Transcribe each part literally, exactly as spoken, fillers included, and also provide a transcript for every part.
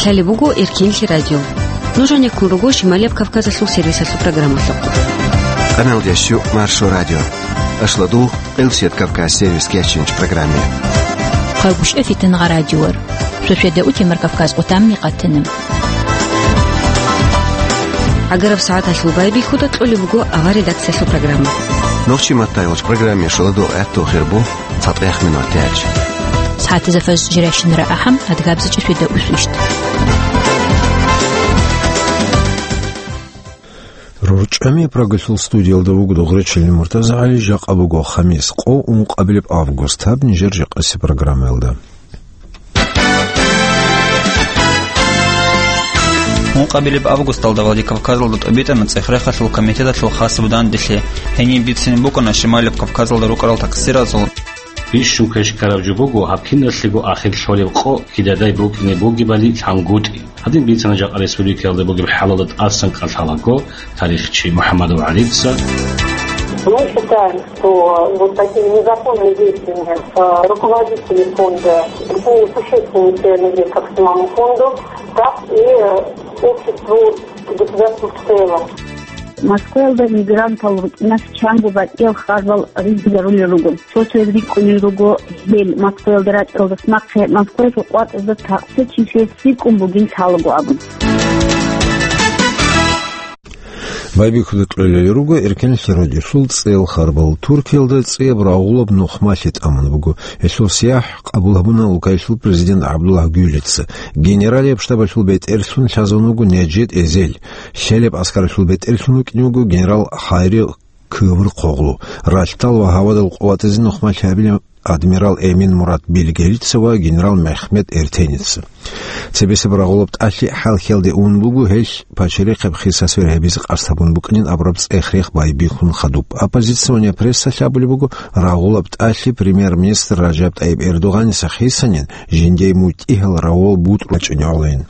Лъалеб буго Эркенлъи радио. Нуж гьанеккун руго Шималияб Кавказалъул сервисалъул программалъухъ. Къаналдящу Маршо радио. Ашладул Къилсият Кавказ сервис кечинч программе. Хъагушев Фитнагъа радиор. Шошеда утемар Кавказ къутамни къатана. Агараб сагӀаталъул байбихьуда кьолеб буго авар редакциялъул программа. Нохчи маттайгъуч программе шоладу гӀатту хирбу. ЦатӀех минут тяч. Сагьатизафаз жирашинра ахӀам, адгабзичӀи фида усвищ. РорчӀами Прагалъул студиялда вуго Дугъречилин МуртазагӀали. Жакъа буго хамис, къо, ункъабилеб август. Гьаб нижер жакъаси программаялда. Ункъабилеб августалда Владикавказалда тӀубитӀана цӀех-рехалъул комитеталъул хасаб данделъи. Гьениб бицин букӀана Шималияб Кавказалда рукӀарал такъсиразул. Бищун квеш ккараб жо буго гьаб киналъего ахир лъолеб къо кидадай букӀине бугебали лъангутӀи. Гьадин бицана жакъа республикаялда бугеб хӀалалда тӀасан кӀалъалаго тарихчи МухӀаммадов ГӀалица. Мы считаем, что вот такими незаконными действиями, э, руководители фонда причинили существенный материальный вред как самому фонду, так и, э, обществу, государству в целом. Москваялда мигрантал рукӀиналъ чанго батӀиял хабар ризарулел руго. Цо-цояз рикӀкӀунел руго гьел Москваялда рачӀаралдаса нахъе Москваялъул къватӀазда такъсичилъи рикӀкӀун бугин лъалаго абун. Байбихьуда кьолел руго Эркенлъи радиолъул цӀел харбал. Туркиялда цӀияб рагъулаб нухмалъи тӀамун буго. Гьелъул сияхӀ къабул гьабуна улкаялъул президент ГӀабдуллагь Гюлица. Генералияб штабалъул бетӀерлъун лъазун вуго Неджед Эзел. Лъелеб аскаралъул бетӀерлъун вукӀине вуго генерал Хайри Кыврхъоглу. Ралъдал ва гьавадал къуватазе нухмалъи гьабила адмирал Эмин Мурат Билгелица ва генерал Мехмед Эртеница. Цебесеб рагъулаб тӀалъи хӀалхьиялде ун буго, гьелъ пачалихъеб хиса сверхӀебизе къасд гьабун букӀанин абураб цӀех-рех байбихьун хадуб. Оппозиционная прессалъ абулеб буго, рагъулаб тӀалъи премьер-министр Ражаб ТӀайиб Эрдогъаниса хисанин, жиндие мутӀигьал рагъул бутӀрул чӀинегӀолин.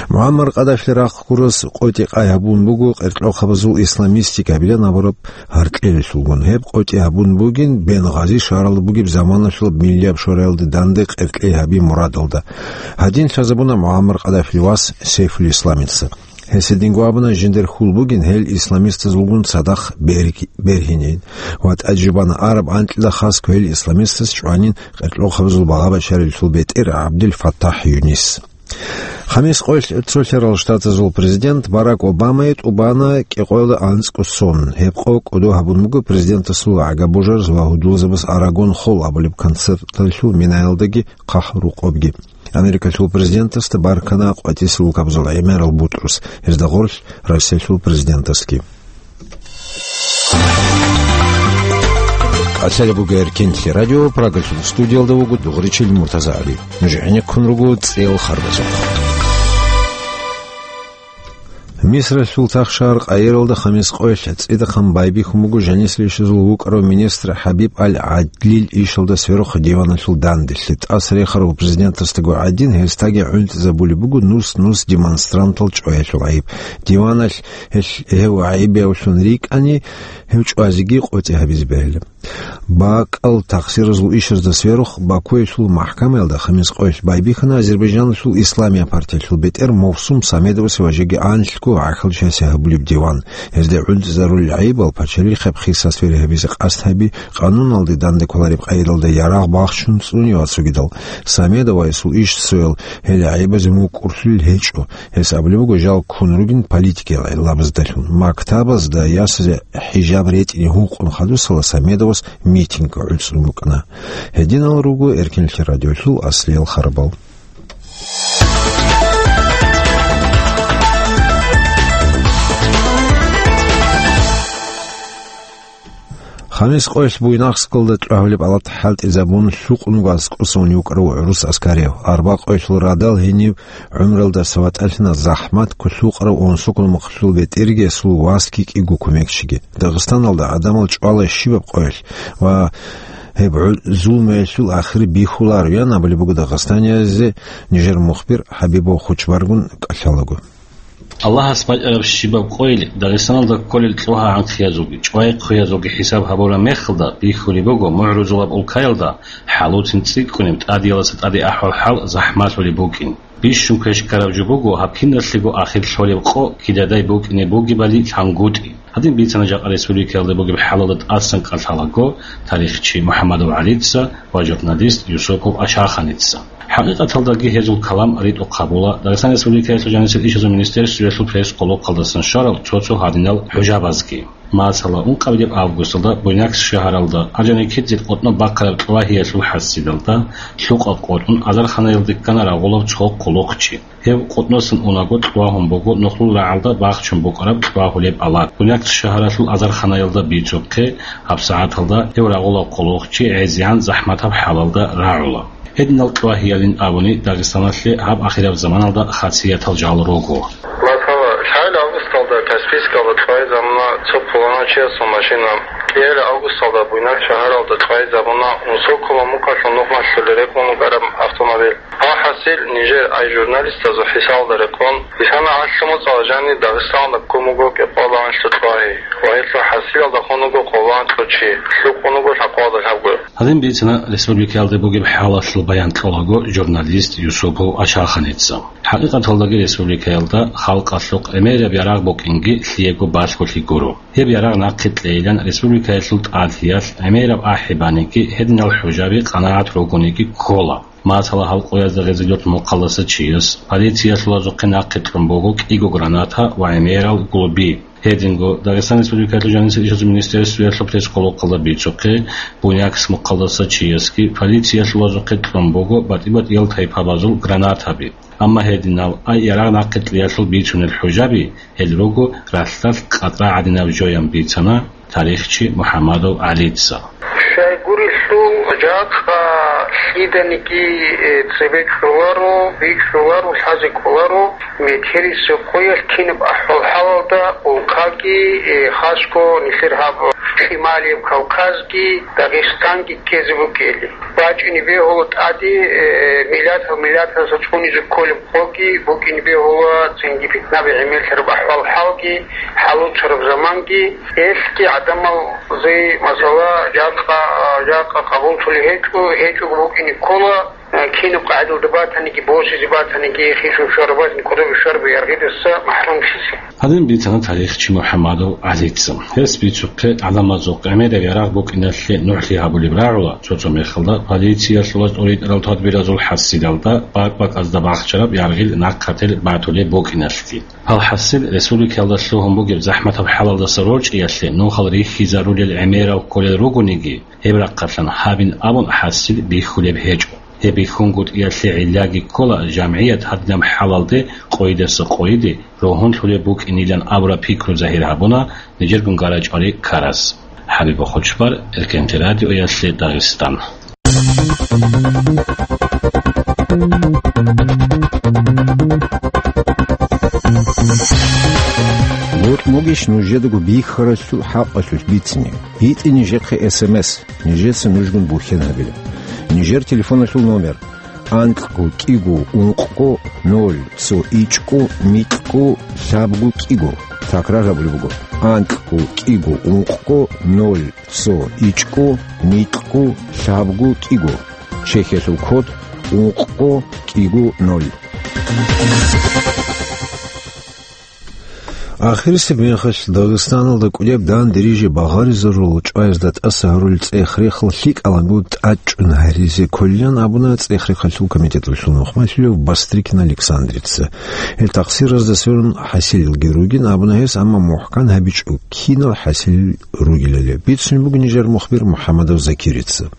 МугӀаммар Къадафили рахъ гурас къотӀи къай гьабун буго къеркьохъабазул исламистик гьабилан абураб гьаркьелалъулгун. Гьеб къотӀи гьабун бугин Бенгъази шагьаралда бугеб заманалъулаб Миллияб шораялда данде къеркьей гьаби мурадалда. Гьадин лъазабуна МугӀаммар Къадафили вас Сейфулисламица. Гьес гьединго абуна, жиндир хьул бугин гьел исламистазулгун цадахъ берги-, бергьинин ва тӀаде жубана араб анкьида хасго гьел исламистаз чӀванин къеркьохъабазул багъа-бачаралъул бетӀер ГӀабдул Фаттахь Юнис. Хамис къоялъ Цолъарал Штатазул президент Барак Обамае тӀубана кӀикъоялда анцӀго сон. Гьеб къо кӀодо гьабун буго президентасул гӀага божараз ва гьудулзабаз Арагон холл абулеб концерталъул минаялдаги хъахӀрукъобги. Америкалъул президентасда баркана къватӀисел улкабазул гӀемерал бутӀрус, гьезда гъорлъ Россиялъул президентасги. КӀалъалеб буго Эркенлъи радио, Прагалъул студиялда вуго Дугъричил МуртазагӀали. Нуж гӀенеккун руго цӀел харбазухъ. Мисралъул тахшагьар Къайиралда хамис къоялъ цӀидахъан байбихьун буго жанисрищазул вукӀарав министр ХӀабиб аль-ГӀадлил ишалда сверухъ диваналъул данделъи. ТӀаса рехарав президентасдаго гӀадин, гьесдаги гӀунтӀизабулеб буго нус-нус демонстрантал чӀваялъул гӀайиб. Диваналъ гьелъ гьев гӀайибиявлъун рикӀкӀани, гьев чӀвазеги къотӀи гьабизе бегьила. БакӀал тахсиразул ишазда сверухъ Бакуялъул махӀкамаялда хамис къоялъ байбихьана Азербайджаналъул Исламия партиялъул бетӀер Мовсум Самедовасе ва жеги анлъго гӀахьалчиясе гьабулеб диван. Гьезда гӀунтӀизарулел гӀайибал пачалихъеб хиса сверихӀебизе къасд гьаби, къануналде данде кколареб къайдалда ярагъ бахчун цӀуни ва цогидал. Самедовасул ишсоял гьел гӀайибазе мукӀурлъулел гьечӀо. Гьес абулеб буго, жал ккун ругин политикиял гӀиллабаздалъун. Мактабазда ясазе хӀижаб ретӀине гьукъун хадусала Самедовас митинг гӀуцӀун букӀана. Гьединал руго Эркенлъи радиолъул аслиял харбал. Хамис къоялъ Буйнакскалда тӀагьулеб алат хӀалтӀизабун, лъукъун аскӀосан вукӀарав гӀурус аскарияб. Арба къоялъул радал гьениб гӀумралдаса ватӀалъана захӀмат кколъукъарав унсокъун мухъалъул бетӀергесул васги кӀиго кумекчиги. Дагъистаналда гӀадамал чӀвала щибаб къоялъ ва гьеб гӀу-, зулмуялъул ахир бихьуларо, ян абулеб буго дагъистаниязе нижер мухбир ХӀабибов Хочбаргун кӀалъалаго. Аллагьас бачӀараб щибаб къойил Дагъистаналда кколел кьвагьа-гӀанхъиязулги чӀвай-хъуязулги хӀисаб гьабураб мехалда, бихьулеб буго мугӀрузулаб улкаялда хӀалуцин цӀикӀкӀунеб, тӀадеялдаса тӀаде ахӀвал-хӀал захӀмалъулеб букӀин. Бищун квеш ккараб жо буго гьаб киналъего ахир лъолеб къо кидадай букӀине бугебали лъангутӀи. Гьадин бицана жакъа республикаялда бугеб хӀалалда тӀасан кӀалъалаго тарихчи МухӀаммадов ГӀалица ва журналист Юсупов Ашаханица. ХӀакъикъаталдаги гьезул калам ритӀухъ гьабула Дагъистан Республикаялъул жанисел ишазул министерствоялъул пресс-къолохъалдасан щварал цо-цо гьадинал хӀужабазги. Масала, ункъабилеб августалда Буйнакск шагьаралда Орджоникидзе къотӀноб бахъараб кьвагьиялъул хӀасилалда лъукъаб къотӀун азарханаялде ккана рагъулав цо къулухъчи. Гьев къотӀносан унаго кьвагьун буго нухлул рагӀалда бахчун букӀараб кьвагьулеб алат. Буйнакск шагьаралъул азарханаялда бицухъе, гьабсагӀаталда гьев рагъулав къулухъчи гӀезегӀан захӀматаб хӀалалда рагӀула. Гьединал кьвагьиялин абуни, Дагъистаналъе гьаб ахираб заманалда хасиятал жал руго. Масала, лъабил августалда Каспийскалда кьвагьизабуна цо пуланав чиясул машина, кӀиабил августалда Буйнакск шагьаралда кьвагьизабуна унсоккола мукъалъул нухмалъулел рекъон вукӀараб автомобиль. Гьал хӀасил нижер, ай журналистазул хӀисалда рекъон, бицана гӀалъу моцӀалъ жанир Дагъистаналда ккун буго кӀикъоялда гьанлъул кьвагьи ва гьелъул хӀасилалда хун вуго къоло гьанлъул чи, лъукъун вуго лъабкъоялда лъабго. Гьадин бицана республикаялда бугеб хӀалалъул баян кьолаго журналист Юсупов Ашаханица. ХӀакъикъаталдаги республикаялда халкъалъухъ гӀемераб ярагъ букӀинги лъиего балъголъи гуро. Гьеб ярагъ нахъе кьейилан республикаялъул тӀалъиялъ гӀемераб ахӀи баниги, гьединал хӀужаби къанагӀат ругониги ккола. Масала, гьал къоязда гъезилъул мухъалдаса чияс полициялъулазухъе нахъе кьун буго кӀиго граната ва гӀемерал гулби. Гьединго Дагъистан Республикалъул жанисел ишазул министерствоялъул пресс-къолохъалда бицухъе, Буйнакск мухъалдаса чиясги полициялъулазухъе кьун буго батӀи-батӀиял тайпабазул гранатаби. Амма гьединал ай ярагъ нахъе кьеялъул бицунел хӀужаби гьел руго ралъдалъ къатӀа гӀадинаб жоян бицана тарихчи МухӀаммадов ГӀалица. Щай гурелъул, жакъа лъиданиги, э, цебе кьоларо, бикьуларо, лъазе кӀоларо, метерисеб къоялъ кинаб ахӀвал-хӀалалда улкаги, э, хасго нилъер гьаб Шималияб Кавказги, Дагъистанги ккезе букӀели. БачӀине бегьула тӀаде, э, миллатал-миллаталдаса цӀунизе кколеб къоги, букӀине бегьула цинги питнаби гӀемерлъараб ахӀвал-хӀалги, хӀалуцараб заманги. Гьелъги гӀадамалзе, масала, жакъа, жакъа къабуллъулеб гьечӀо, гьечӀого букӀине ккола, э, кинаб къагӀидалда батаниги, босизе батаниги, хисун щвараб батаниги, кодобе щварабе яргъидаса махӀрумлъизе. Гьадин бицана тарихчи МухӀаммадов ГӀалица. Гьес бицухъе гӀадамазухъ гӀемераб ярагъ букӀиналъе нугӀлъи гьабулеб рагӀула, цо-цо мехалда полициялъулаз тӀоритӀарал тадбиразул хӀасилалда бакӀ-бакӀазда бахчараб яргъил нахъател батулеб букӀиналъги. Гьал хӀасил республикаялда лъугьун бугеб захӀматаб хӀалалдаса рорчӀиялъе нухал рихьизарулел гӀемерал кколел ругониги, гьеб рахъалъан гьабин абун хӀасил бихьулеб гьечӀо. Гьеб бихьунгутӀиялъе гӀиллаги ккола жамгӀият гьадинаб хӀалалде къойидаса къойиде ругьунлъулеб букӀинилан абураб пикру загьир гьабуна нижергун гарачӀвари ккарас. ХӀабиб Хучбар, Эркенте радиоялъе Дагъистан. Бокьугищ нужедаго бихьаралъул хӀакъалъулъ бицине? ГьитӀе нижехъе эс эм эс, нижеца нужгун бухьен гьабила. Нижер телефоналъул номер: анкьго кӀиго ункъго ноль цо ичӀго микьго лъабго кӀиго. Такрар гьабулеб буго: анкьго кӀиго ункъго ноль цо ичӀго микьго лъабго кӀиго. Чехиялъул код: ункъго кӀиго ноль. Ахирисеб мехалъ Дагъистаналда кӀудеб дандериже багъаризарул чӀваязда тӀаса гьарулел цӀех-рехал лъикӀалаго тӀадчӀун гьаризе кколилан абуна цӀех-рехалъул комитеталъул нухмалъулев Бастрыкин Александрица. Гьел такъсиразда сверун хӀасилалги ругин абуна гьес, амма мухӀкан гьабичӀо кинал хӀасилал ругелали. Бицунеб буго нижер мухбир МухӀаммадов Закирица.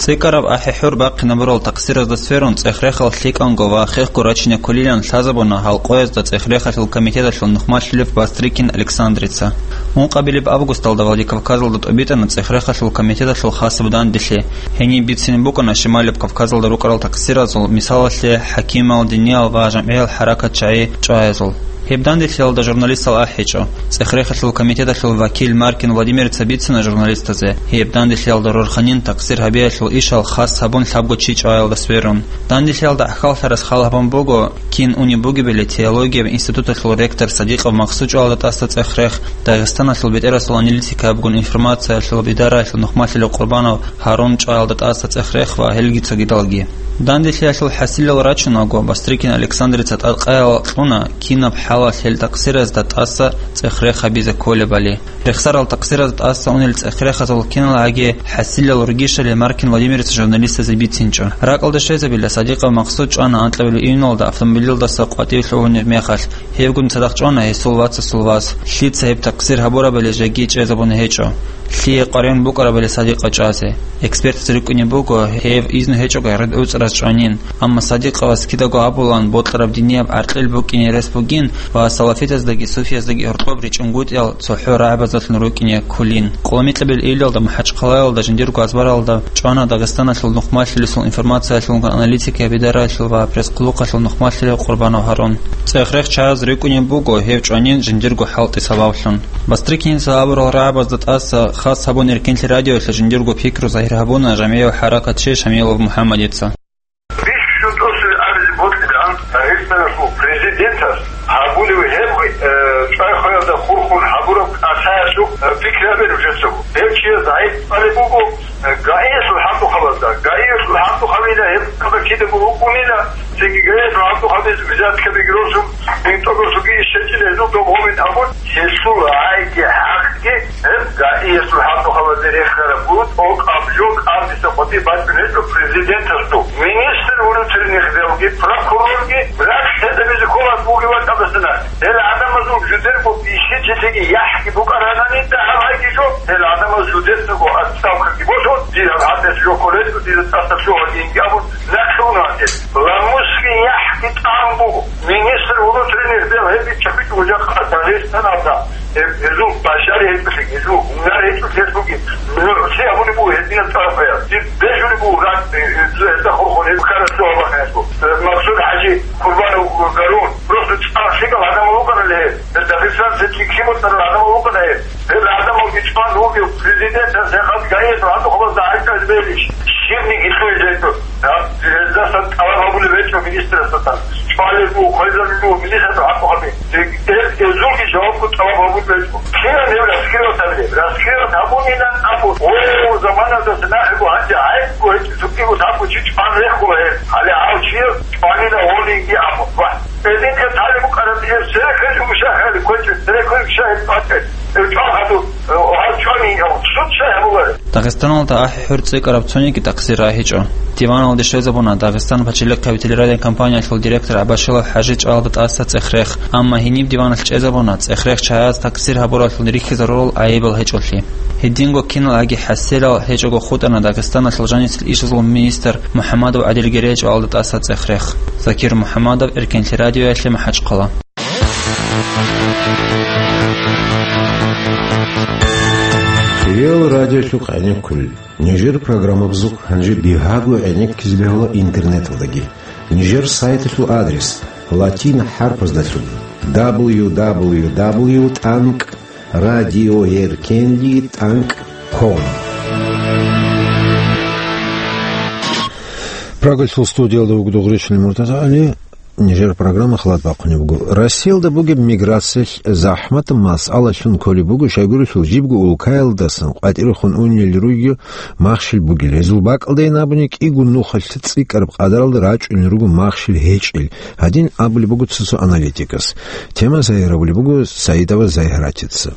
ЦӀикӀкӀараб ахӀи-хӀур бахъинабурал такъсиразда сверун, цӀех-рехал лъикӀанго ва хехго рачине кколилан лъазабуна гьал къоязда цӀех-рехалъул комитеталъул нухмалъулев Бастрыкин Александрица. Ункъабилеб августалда Владикавказалда тӀубитӀана цӀех-рехалъул комитеталъул хасаб данделъи. Гьениб бицине букӀана Шималияб Кавказалда рукӀарал такъсиразул, мисалалъе, хӀакимал, диниял ва жамгӀиял хӀаракатчагӀи чӀваязул. Гьеб данделъиялда журналистал ахӀичӀо. ЦӀех-рехалъул комитеталъул вакил Маркин Владимирца бицина журналистазе, гьеб данделъиялда рорханин такъсир гьабиялъул ишал хас гьабун лъабго чи чӀваялда сверун. Данделъиялда гӀахьаллъарас хал гьабун буго, кин унеб бугебали теологияб институталъул ректор Садикъов Максуд чӀваялда тӀаса цӀех-рех, Дагъистаналъул бетӀерасул аналитик абгун информациялъул бидараялъул нухмалъулев Къурбанов Гьарун чӀваялда тӀаса цӀех-рех ва гьелги цогидалги. Данделъиялъул хӀасилал рачунаго, Бастрыкин Александрица тӀадкъаял кьуна, кинаб хӀалалъ гьел такъсиразда тӀаса цӀех-рех гьабизе кколебали. Рехсарал такъсиразда тӀаса унел цӀех-рехазул киналгӀаги хӀасилал ругищали Маркин Владимирца журналистазе бицинчӀо. РакӀалде щвезабила, Садикъов Максуд чӀвана анкьабилеб июналда автомобилалдаса къватӀив лъугьунеб мехалъ, гьевгун цадахъ чӀвана гьесул вацасул вас. Лъица гьеб такъсир гьабурабали жеги чӀезабун гьечӀо. Лъие къваригӀун букӀарабали Садикъа чӀвазе. Экспертаз рикӀкӀунеб буго, гьев изну гьечӀого гьарид гӀуцӀраз чӀванин, амма Садикъавас кидаго абулан, бокьараб динияб гӀаркьил букӀине рес бугин ва салафитаздаги суфияздаги гьоркьоб ричӀунгутӀиял цохӀо рагӀабаздалъун рукӀине кколин. Къоло микьабил июлалда МахӀачхъалаялда жиндирго азбаралда чӀвана Дагъистаналъул нухмалъулесул информациялъулгун аналитикияб бидараялъул ва пресс-хъулухъалъул нухмалъулев Къурбанов Гьарун. ЦӀех-рех чӀвазе рикӀкӀунеб буго гьев чӀванин жиндирго хӀалтӀи сабаблъун. Бастрыкинца абурал рагӀабазда тӀаса хас гьабун Эркенлъи радиоялъе жиндирго пикру загьир гьабуна жамигӀав хӀаракатчи Шамилов МухӀаммадица. Бищун тӀасалъугӀин абизе бокьилаан Дагъистаналъул президентас гьабулев гьеб, э, чӀвай-хваялда хурхун гьабураб кӀалъаялъул, э, пикри гьабе нужецаго. Гьев чияс гӀайиб кьолеб буго, э, ГАИялъул хӀалтӀухъабазда. ГАИялъул хӀалтӀухъабила гьеб кидаго рукӀунила, цинги ГАИялъул хӀалтӀухъабиз взяткабиги росун, бинтӀогосуги ишщачӀила гьезул доб гьобин абун, гьелъул гӀайги хӀакъги гьеб ГАИялъул хӀалтӀухъабазде рехараб буго, тӀокӀаб жо кӀалдиса къватӀибе бачӀун гьечӀо президентасул. Министр внутренних делги, прокурорги рахъ гьедабизе ккола бугеб бакӀалдасана. Гьел гӀадамазул жидерго бихьинчилъиги яхӀги букӀаранани дагьаб гьайги жо, гьел гӀадамаз жидерго отставкаги босун, дир гьаб гьадинаб жо кколел, дир тӀаса лъугьа инги абун, нахъе уна гьел. Ламусги яхӀги тӀан буго. Министр внутренних дел гьеб биччахъичӀого жакъа Дагъистаналда, гьеб, гьезул бажари гьечӀолъи, гьезул гьунар гьечӀолъи гьез бугеб, нугӀлъи гьабулеб буго гьединаб тӀараб гӀаял. Дир бежулеб буго ракӀ, э, э, гьезда хурхун, гьеб ккараб суал бахъиналъул. Э, Максуд ХӀажи, Къурбанов Гьарун, просто цӀар лъикӀал гӀадамал вукӀана гьел. Гьел дагъистанцин цӀикӀкӀи бутӀарал гӀадамал вукӀана гьел. Гьел гӀадамалги чӀван вугев президентас гьеб ГАИялъул хӀалтӀухъабазда гӀайиб кьезе бегьилищ? Щибниги лъугьизе гьечӀо. Гьа, гьездасан тӀалаб гьабулеб гьечӀо министрасдасан. ЧӀвалеб буго, хвезабулеб буго министрасул хӀалтӀухъаби. Гьез, гьезулги жавабго тӀалаб гьабулеб гьечӀо. КигӀан гьев раскрывать гьабилеб? Раскрывать гьабунилан абун. О, заманадаса нахъего гьанже гӀайибго гьечӀо, цогиго лъабго чи чӀван рехула гьеб. Гьале гьав чияс чӀванила гьолинги абун. Ва гьединлъи талеб букӀараб гьеб, церехъе жугьу шагьали кквечӀеб, церехъе шагьи тӀвачӀеб. Гьев чӀван гьадур, гьав чӀванин, гьав суд шагь гьабулареб. Дагъистаналда ахӀи-хӀур цӀикӀкӀараб цониги такъсир рагьичӀо. Диваналде щвезабуна Дагъистан пачалихъ капитализированияб компаниялъул директор Абашилов ХӀажи чӀваялда тӀаса цӀех-рех, амма гьениб диваналъ чӀезабуна цӀех-рех чагӀаз такъсир гьабуралъул рихьизарурал гӀайибал гьечӀолъи. Гьединго киналгӀаги хӀасилал гьечӀого хутӀана Дагъистаналъул жанисел ишазул министр МухӀамадов ГӀадилгерей чӀваялда тӀаса цӀех-рех. Закир МухӀамадов, Эркенлъи радиоялъе, МахӀачхъала. Хириял радиолъухъ гӀенеккулел. Нижер программабазухъ гьанже бигьаго гӀенеккизе бегьула интернеталдаги. Нижер сайталъул адрес латин хӀарпаздалъун: дабл ю дабл ю дабл ю тӀанкӀ радиоэркенли тӀанкӀ ком. Прагалъул студиялда вуго Дугъришин МуртазагӀали. Нижер программа халат бахъунеб буго. Россиялда бугеб миграциялъ захӀматаб масъалалъун кколеб буго, щайгурелъул жибго улкаялдасан къватӀирехун унел ругел махщел бугел. Гьезул бакӀалдайин абуни, кӀиго нухалъ цӀикӀкӀараб къадаралда рачӀунел руго махщел гьечӀел, гьадин абулеб буго цо-цо аналитикас. Тема сайигъарабулеб буго Саидова Загьиратица.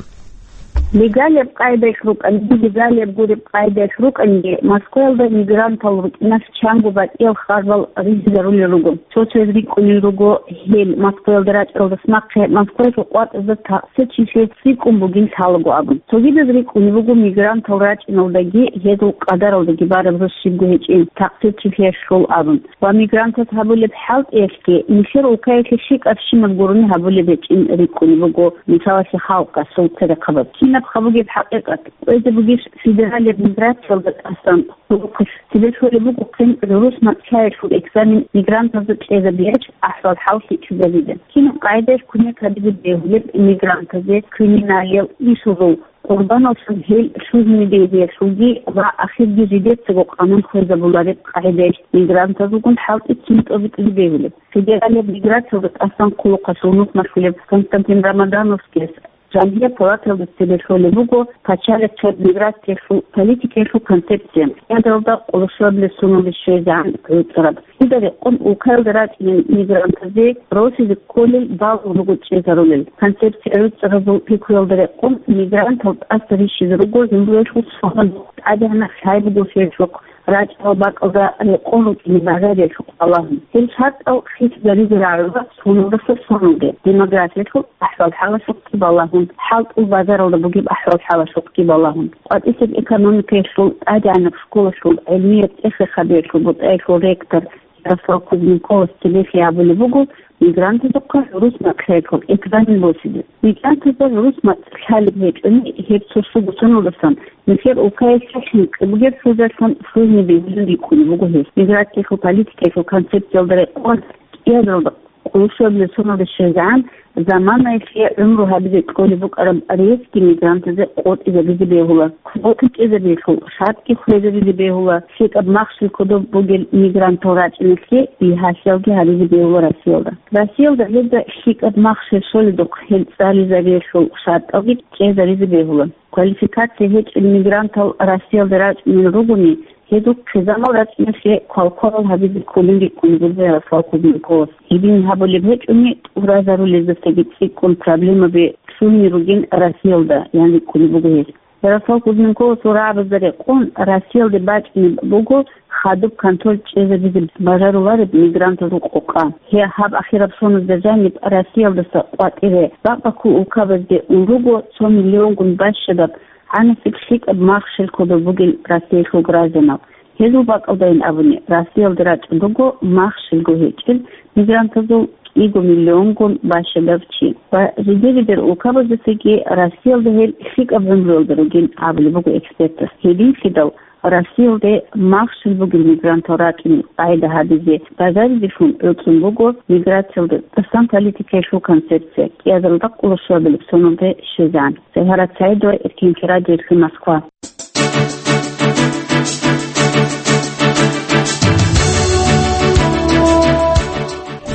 Легалияб къайдаялъ рукӀанги, нелегалияб гуреб къайдаялъ рукӀанги, Москваялда мигрантал рукӀиналъ чанго батӀиял харбал ризизарулел руго. Цо-цояз рикӀкӀунел руго гьел Москваялда рачӀаралдаса нахъе Москваялъул къватӀазда такъсирчилъи цӀикӀкӀун бугин лъалаго абун. Цогидаз рикӀкӀунеб буго мигрантал рачӀиналдаги гьезул къадаралдаги бараб жо щибго гьечӀин такъсирчилъиялъул абун. Ва мигрантаз гьабулеб хӀалтӀиялъги нилъер улкаялъе щибаб щинаб гурони гьабулеб гьечӀин рикӀкӀунеб буго, мисалалъе, халкъалъул церехъабаз. Гьаб бугеб хӀакъикъат. КӀвезе бугищ федералияб миграциялда тӀасан хъулухъалъ? Цебе лъолеб буго хъин гӀурус мацӀлъаялъул экзамен мигрантазда кьезабиялъ ахӀвал-хӀал лъикӀлъизабизе. Кинаб къагӀидаялъ кумек гьабизе бегьулеб мигрантазе криминалиял ишазул къурбаналлъун гьел лъугьине бегьиялъулги ва ахирги жидецаго къанун хвезабулареб къагӀидаялъ мигрантазулгун хӀалтӀи кин тӀобитӀизе бегьулеб? Федералияб миграциялда тӀасан хъулухъалъул нухмалъулеб Константин Рамадановскияс Жамгьият палаталда цебе лъолеб буго пачалихъ миграциялъул политикаялъул концепция, кӀиазаралда къоло щуабилеб соналде щвезегӀан гӀуцӀараб. Гьелда рекъон улкаялда рачӀунел мигрантазе росизе кколел балун руго чӀезарулел. Концепция гӀуцӀаразул пикруялда рекъон мигрантал тӀаса рищизе руго жиндиялъул соналъ, тӀадегӀанаб лъай бугелъулъ, рачӀарал бакӀалда рекъон рукӀине бажариялъухъ балагьун. Гьел шартӀал хисизаризе рагӀула соналдаса соналде, демографиялъул ахӀвал-хӀалалъухъги балагьун, хӀалтӀул базаралда бугеб ахӀвал-хӀалалъухъги балагьун. КъватӀисеб экономикаялъул, тӀадегӀанаб школалъул гӀилмияб цӀехехъабиялъул бутӀаялъул ректор Ярослав Кузьминковас цебехъе абулеб буго, мигрантазухъа гӀурус мацӀлъаялъул экзамен босизе. Мигрантазда гӀурус мацӀ лъалеб гьечӀони, гьеб цо-цо соналдасан нилъер улкаялъе хӀинкъи бугеб хӀужалъун лъугьине бегьулин рикӀкӀунеб буго гьес. Миграциялъул политикаялъул концепциялда рекъон кӀиазаралда къоло щуабилеб соналде щвезегӀан заманаялъе гӀумру гьабизе кьолеб букӀараб ресги мигрантазе къотӀизабизе бегьула, квота кьезабиялъул шартӀги хвезабизе бегьула, лъикӀаб махщел кодоб бугел мигрантал рачӀиналъе бигьалъиялги гьаризе бегьула Россиялда. Россиялда гьезда лъикӀаб махщел щолебухъ гьел цӀализабиялъул шартӀалги кьезаризе бегьула. Квалификация гьечӀел мигрантал Россиялда рачӀунел ругони, гьезул хъизамал рачӀиналъе квалкварал гьабизе кколин рикӀкӀунеб буго Ярослав Кузьминковас. Гьедин гьабулеб гьечӀони, тӀуразарулездасаги цӀикӀкӀун проблемаби лъугьине ругин Россиялда, ян рикӀкӀунеб буго гьес. Ярослав Кузьминковасул рагӀабазда рекъон, Россиялде бачӀунеб буго хадуб контроль чӀезабизе бажарулареб мигрантазул къокъа. Гьеб гьаб ахираб соназда жаниб Россиялдаса къватӀире бакӀ-баккул улкабазде ун руго цо миллионгун бащадаб гӀанасеб лъикӀаб махщел кодоб бугел Россиялъул гражданал. Гьезул бакӀалдайин абуни, Россиялда рачӀун руго махщелго гьечӀел мигрантазул кӀиго миллионгун бащадав чи. Ва жидер-жидер улкабаздасаги Россиялда гьел лъикӀаб гӀумруялда ругин абулеб буго экспертас. Гьединлъидал Россиялде махщел бугел мигрантал рачӀунел къагӀида гьабизе бажаризелъун гӀуцӀун буго миграциялда тӀасан политикаялъул концепция, кӀиазаралда къоло щуабилеб соналде щвезегӀан. Сайгьарат Саидова, Эркинлъи радиоялъе, Москва.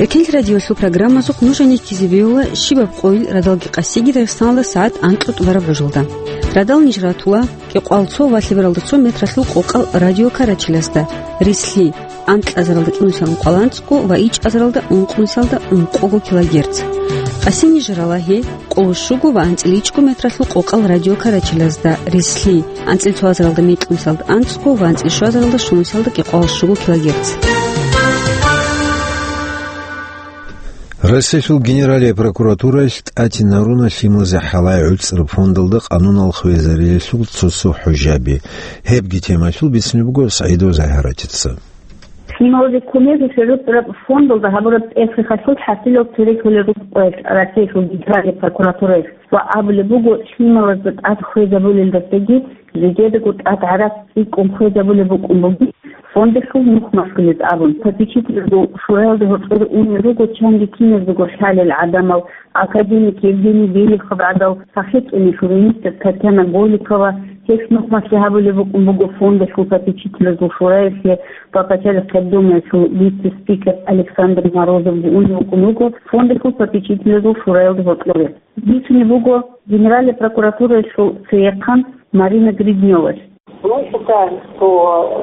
Эркинлъи радиоялъул программазухъ нуж гьанир ккезе бегьула щибаб къойил радалги къасиги Дагъистаналда сагӀат анкьго тӀубараб гӀужалда. Радал ниж ратула кӀикъоялда цо ва лъебералда цо метралъул къокъал радиокарачелазда, рислъи, анкьазаралда кӀинусиялда ункъоялда анцӀго ва ичӀазаралда ункънусиялда ункъого килогерц. Къаси ниж рала гьеб къоло щуго ва анцӀила ичӀго метралъул къокъал радиокарачелазда, рислъи, анцӀила цоазаралда мекьнусиялда анцӀго ва анцӀила щуазаралда щунусиялда кӀикъоялда щуго килогерц. Россиялъул Генералияб прокуратураялъ тӀатинаруна лъималазе хӀалай гӀуцӀараб фондалда къанунал хвезариялъул цо-цо хӀужаби. Гьебги темаялъул бицунеб буго СагӀидова Загьаратица. Лъималазе кумезе гӀуцӀараб фондалда гьабураб тӀехьехъалъул хӀасилал цере кколел рукъ къоялъ Россиялъул Генералияб прокуратураялъ ва абулеб буго, лъималазда тӀад хвезабулелдасаги жидедаго тӀад гӀарац цӀикӀкӀун хвезабулеб букӀун бугин, фондалъул нух машгьулез абун. Попечительзул шураялда гьоркьоре унел руго чанги киназдаго лъалел гӀадамал, академик Евгений Белихов гӀадал, СахӀетӀуни журналистка Татьяна Голикова. Гьелъ нух машгьи гьабулеб букӀун буго фондалъул попечительзул шураялъе ва пачалихъ Госдумаялъул вице-спикер Александр Морозовги унев вукӀун вуго фондалъул попечительзул шураялда гьоркьоре. Бицунеб буго Генеральная прокуратураялъул цеяхъан Марина Гридневалъ. Мы считаем, что,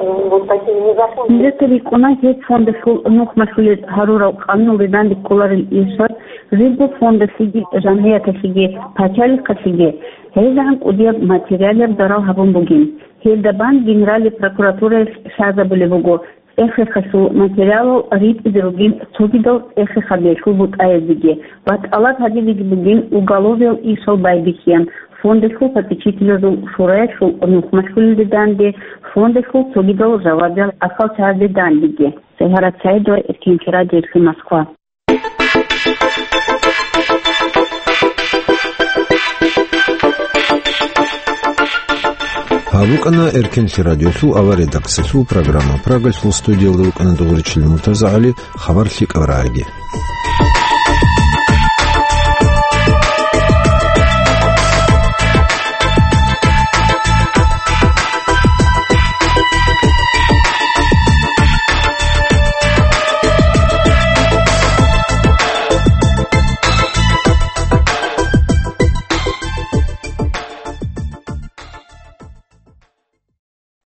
э, вот такие незаконные... Нижеца рикӀкӀуна гьеб фондалъул нух машгьулез гьарурал къануналде данде кколарел ишал, жибго фондалъеги, жамгӀияталъеги, пачалихъалъеги гӀезегӀан кӀудияб материалияб зарал гьабун бугин. Гьелда бан Генеральный прокуратураялъ лъазабулеб буго ЦӀехехъалъул материалал ритӀизе ругин цогидал цӀехехъабиялъул бутӀаязеги ва тӀалаб гьабизеги бугин уголовиял ишал байбихьиян фондалъул попечительзул шураялъул нух машгьулелде данде, фондалъул цогидал жавабиял ахӀвалчагӀазде дандеги. Сайгьарат Саидова, Эркинлъи радиоялъе, Москва. Гьаб букӀана Эркенлъи радиолъул авария дакъсалъул программа. Прагалъул студиялда рукӀана дугӀуричилин МуртазагӀали, хабар лъикӀаб рагӀаги.